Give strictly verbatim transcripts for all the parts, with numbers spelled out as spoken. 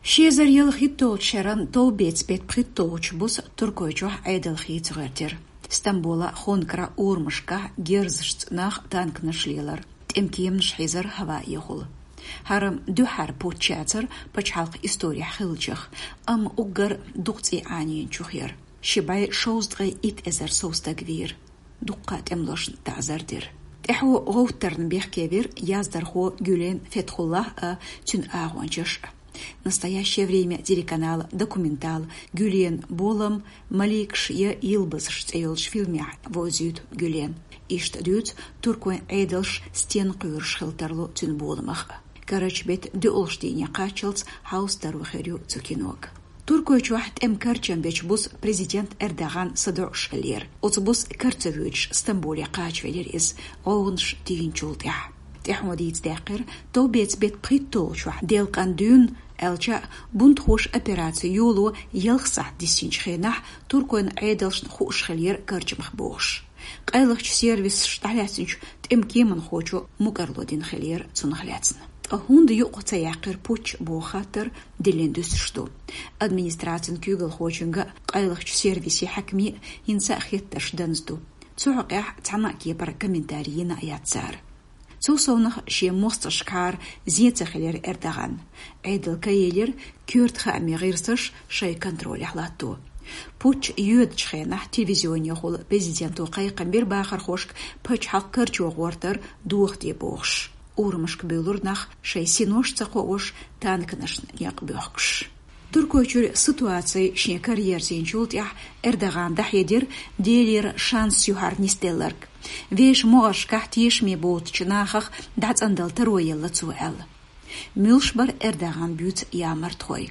Ши эзар ялхитталгӀача шеран товбеца бетт пхийтталгӀача буса Туркойчохь Ӏедал хийца гӀертира. Стамбула хонкара урамашкахь герзашца нах танканаш лелар, тӀемкеманаш хьийзар хӀаваэхула. ХӀара дуьххьара путч яцар пачхьалкхан исторехь хиллачех, амма уггар дукха цӀий Ӏанийначех яр. Ши бӀе шовзткъе итт эзар сов стаг вийра. Дуккха тӀемалошна таӀзар дира. ТӀаьхьо гӀовттарна бехке вира яздархо Гюлен Фетхуллахь а, цуьнан агӀончаш а. «Настоящее время» телеканала документал «Гюлен болам, маликаш я йылбазаш» цӀе йолчу фильмехь вовзуьйту Гюлен. Иштта дуьйцу туркойн Ӏедалша стенна кхоьруш хила тарло цуьнан боламах а. Карарчу беттан доьалгӀачу дийне кхаччалц хьовса таро хир ю цу кинога. Туркойчохь тӀеман карчам бечу буса президент Эрдоган садоӀуш хиллера. Оцу буса кара ца воьдуш Стамбуле кхачавелира иза, гӀовгӀанаш тийначул тӀаьхьа. ТӀаьхьо дийца даьккхира, товбеца бетт пхийтталгӀачохь делкъан дуьйна, аьлча, бунтхоша операци йоло ялх сахьт диссинчу хенахь туркойн Ӏедалшна хууш хиллера карчамах бохуш. Къайлахчу сервисаша дӀалаьцначу тӀеман кеманхочо мукӀарло дина хиллера цунах лаьцна. Ткъа хӀунда юкъа ца яьккхира путч боху хаттар диллина дуьсуш ду. Администрацин куьйгалхочуьнга а, къайлахчу сервисийн хьаькаме а хӀинца а хеттарш данза ду. Цу хьокъехь цхьана а кепара комментарий йина а яц цара. Цул совнаха шен мостагӀашкахьара зен ца хилира Эрдоган. Ӏедал кхайкхийра коьрта хаамийн гӀирсаш шайн контролехь латто. Путч йоьдучу хенахь телевизионехула президенто кхайкхам бира бахархошка пачхьалкх карчо гӀортар дохаде бохуш. Урамашка буьйлура нах, шайн синош а ца кхоош, танканашна некъ боьхкуш. Туркойчуьра ситуаци шен караерзийначул тӀаьхьа Эрдогана дӀахьедира Делера шанс ю хӀара нисделларг. Вешан могӀаршкахь тешаме боцучу нахах дӀацӀандала таро елла цо аьлла. Муьлш бара Эрдогана буьйцу ямартхой?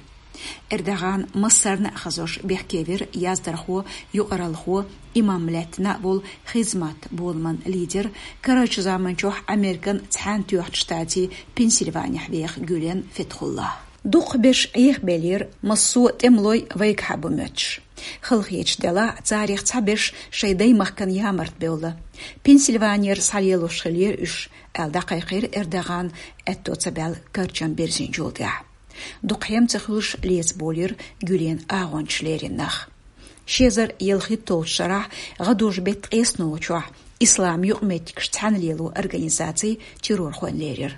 Эрдоган массарна а хазош бехке вира яздархо, юкъаралхо, имам лаьттина а волу «Хизмат» боламан лидер, карарчу заманчохь Американ Цхьаьнатоьхначу Штатийн Пенсильванехь веха Гюлен Фетхуллахь. Дукхахберш Ӏехабеллера массо а тӀемалой вайгахьа бу моьттуш. Халахеташ делахь а, царах цхьаберш шайн даймахкана ямарта бевлла. Пенсильванера схьалелош хиллера уьш, аьлла дӀакхайкхийра Эрдогана, аьтто ца баьлла карчам бирзинчул тӀаьхьа. Дукха хӀума ца хуьлуш леца болийра Гюлен агӀончаш лерина нах. Ши эзар ялхитталгӀачу шарахь гӀадужу беттан ткъеснолгӀачохь Ислам юкъаметтигаш цхьаьна лело организаци террорхойн лерира.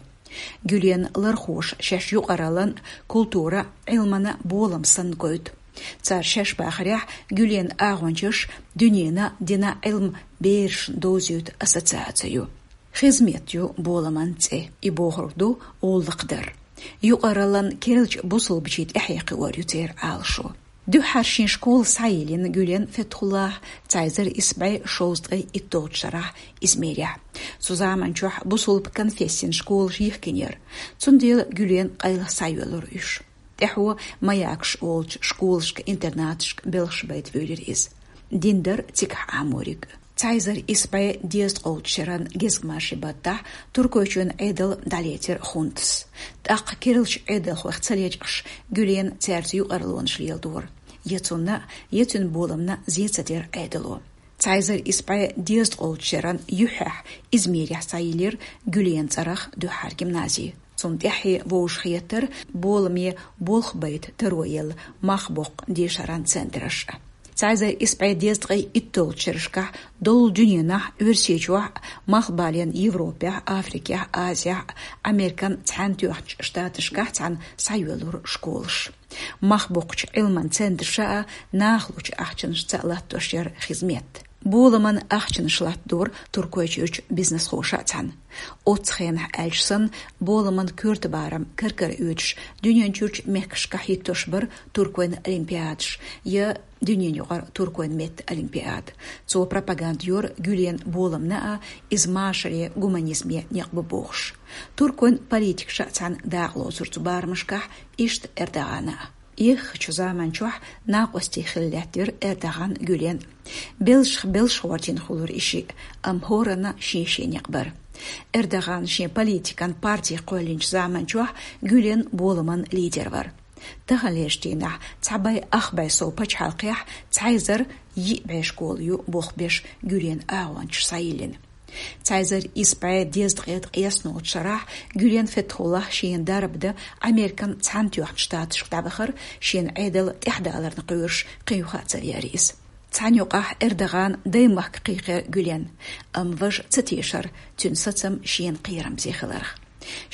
Гюлен лархоша шаьш юкъараллан, культуран, Ӏилманан болам санна гойту. Цара шаьш бахарехь, Гюлен агӀончаш дуьненан а, динан а Ӏилма берашна довзуьйту ассоциаци ю. «Хизмет» ю боламан цӀе, и бохург ду гӀуллакх дар. Юкъараллан керлачу бусулбачийн тӀаьхье кхиор ю церан Ӏалашо. Дуьххьара шен школа схьайиллина Гюлен Фетхуллахьа цхьа эзар исс бӀе шовзткъе итталгӀачу шарахь Измирехь. Цу заманчохь бусулба конфессин школаш йихкинера, цундела Гюлен къайлаха схьайоьллура уьш. ТӀаьхьо «Маякаш» олучу школашка-интернаташка белхаш байта воьлира иза. Дин дара цигахь Ӏамориг. Цхьа эзар исс бӀе дезткъолгӀачу шеран гезгмашин баттахь Туркойчоьнан Ӏедал дӀалецира хунтас. ТӀаккха керлачу Ӏедалхойх ца лечкъаш, Гюлена цаьрца юкъараллонаш леладора. Я цунна, я цуьнан боламна зе ца дира Ӏедало. Цхьа эзар исс бӀе дезткъолгӀачу шеран юьххьехь Измирехь схьайиллира Гюлена цӀарах дуьххьара гимнази. Цунна тӀаьхье вовшахъеттара боламе болх байта таро елла мах боккху дешаран центраш а. Цхьа эзар исс бӀе дезткъе итталгӀачу шерашкахь доллу дуьненахь, Оьрсийчохь а, Малхбален Европехь а, Африкехь а, Азехь а, Американ Цхьаьнатоьхначу Штаташкахь а цхьаьна схьайоьллура школаш. Мах боккхучу Ӏилман центраша а, нахалучу ахчанашца а латтош яра «Хизмет». Боламан ахчанаш латтадора Туркойчуьрчу бизнесхоша а цхьаьна. Оццу хенахь аьлча санна, боламан коьрта барам кар-кара оьцуш, дуьненчуьрчу мехкашкахь хӀиттош бара туркойн олимпиадаш я дуьненаюкъара туркойн меттан олимпиада. Цо пропаганда йора Гюлена боламна а, иза машаре, гуманизме некъ бу бохуш. Туркойн политикаша а цхьаьна дакъа лоцура цу барамашкахь, иштта Эрдогана а. Эххачу заманчохь накъостий хилла лаьттира Эрдоган, Гюлен. Белшах белш гӀортийна хуьлура и шиъ, амма хӀоранна шен-шен некъ бара. Эрдоган шен политикан парти кхоьллинчу заманчохь Гюлен боламан лидер вара. Таханлерчу дийнахь цхьа бӀе ах бӀе сов пачхьалкхехь цхьа эзар йиъ бӀе школа ю болх беш Гюлен агӀончаш схьайиллина. Цхьа эзар исс бӀе дезткъе ткъаь исс шарахь Гюлен Фетхуллахь шен дарба дан Американ Цхьаьнатоьхначу Штаташка дӀавахар, шен Ӏедал тӀаьхьадаларна кхоьруш кхин юха а ца веара иза. Цхьана юкъахь Эрдогана даймахка кхайкхира Гюлен, амма важа ца тешара цуьнан сацам шена кхерамзе хиларх.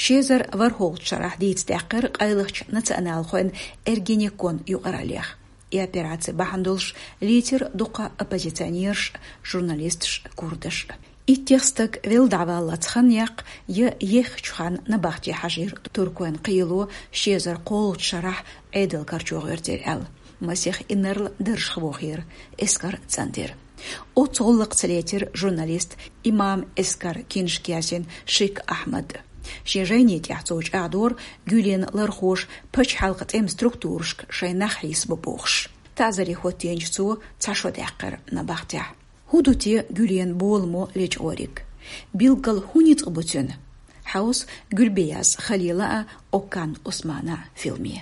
Ши эзар ворхӀалгӀачу шарахь дийца даьккхира къайлахчу националхойн Эргенекон юкъараллех. И операци бахьана долуш лийцира дуккха оппозиционераш а, журналисташ а, курдаш а. Иттех стаг велла дӀаваллалц хан яккха я еххачу ханна набахте хьажийра туркойн кхело ши эзар кхоалгӀачу шарахь Ӏедал карчо гӀоьртира аьлла, масех инарла даржах вохийра, эскар цӀандира. Оццу гӀуллакхца лецира журналист Имам Эскар киншка язйина Шик Ахьмад. Шен жайни тӀехь цо чӀагӀдора Гюлена лархоша пачхьалкхан тӀеман структурашка шайн нах хьийсабо бохуш. Тазаре хӀоттийначу цо цхьа шо даьккхира набахтехь. ХӀун ду те Гюлена боламо лечкъориг? Билггал хӀун ницкъ бу цуьнан? Хьовса Гюлбеяз Халила а, Оккан Усмана а филме.